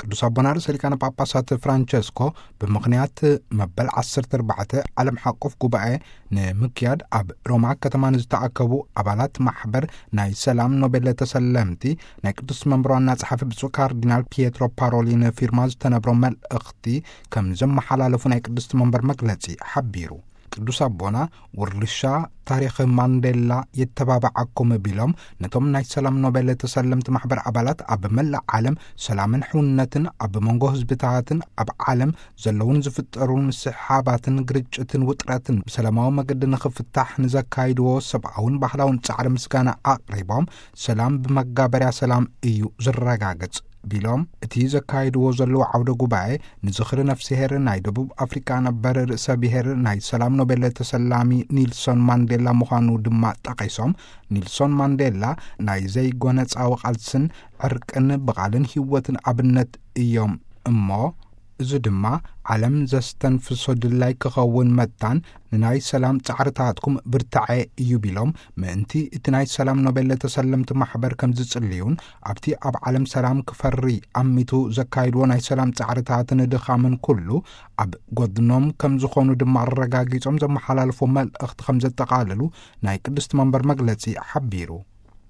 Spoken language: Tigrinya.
ቅዱስ ኣቦና ርእሰ ሊቃነ ጳጳሳት ፍራንቸስኮ፣ ብምኽንያት መበል ዓሰርተ ኣርባዕተ ዓለም ሓቆፍ ጉባኤ ንምክያድ ኣብ ሮማ ከተማ ንዝተኣከቡ ኣባላት ማሕበር ናይ ሰላም ኖቤል ተሰለምቲ፣ ናይ ቅዱስ መንበር ዋና ጸሓፊ ብፁዕ ካርዲናል ፒየትሮ ፓሮሊን ፊርማ ዝተነብሮ መልእኽቲ ከም ዘመሓላለፉ ናይ ቅዱስ መንበር መግለጺ ሓቢሩ። ቅዱስ ኣቦና፣ ውርሻ ታሪኽ ማንዴላ የተባብዓኩም ቢሎም፣ ነቶም ናይ ሰላም ኖቤል ተሰለምቲ ማሕበር ኣባላት ኣብ መላእ ዓለም ሰላምን ሕውነትን ኣብ መንጎ ህዝብታትን ኣብ ዓለም ዘለውን ዝፍጠሩን ምስሕሓባትን ግርጭትን ውጥረትን ብሰላማዊ መገዲ ንኽፍታሕ ንዘካይድዎ ሰብኣውን ባህላውን ጻዕሪ ምስጋና ኣቕሪቦም፣ ሰላም ብመጋበርያ ሰላም እዩ ዝረጋገጽ ቢሎም፣ እቲ ዘካይድዎ ዘለዉ ዓውደ ጉባኤ ንዝኽሪ ነፍስሄር ናይ ደቡብ ኣፍሪካ ነበር ርእሰ ብሔር ናይ ሰላም ኖቤል ተሰላሚ ኒልሶን ማንዴላ ምዃኑ ድማ ጠቒሶም፣ ኒልሶን ማንዴላ ናይ ዘይጎነጻዊ ቃልስን ዕርቅን ብቓልን ህይወትን ኣብነት እዮም እሞ፣ እዚ ድማ ዓለም ዘስተንፍሶ ድላይ ክኸውን መታን ንናይ ሰላም ጻዕርታትኩም ብርታዐ እዩ ቢሎም፣ ምእንቲ እቲ ናይ ሰላም ኖቤል ተሰለምቲ ማሕበር ከም ዝጽልዩን ኣብቲ ኣብ ዓለም ሰላም ክፈሪ ኣሚቱ ዘካይድዎ ናይ ሰላም ጻዕርታትን ድኻምን ኩሉ ኣብ ጎድኖም ከም ዝኾኑ ድማ ኣረጋጊጾም ዘመሓላልፎ መልእኽቲ ከም ዘጠቓልሉ ናይ ቅድስቲ መንበር መግለጺ ሓቢሩ።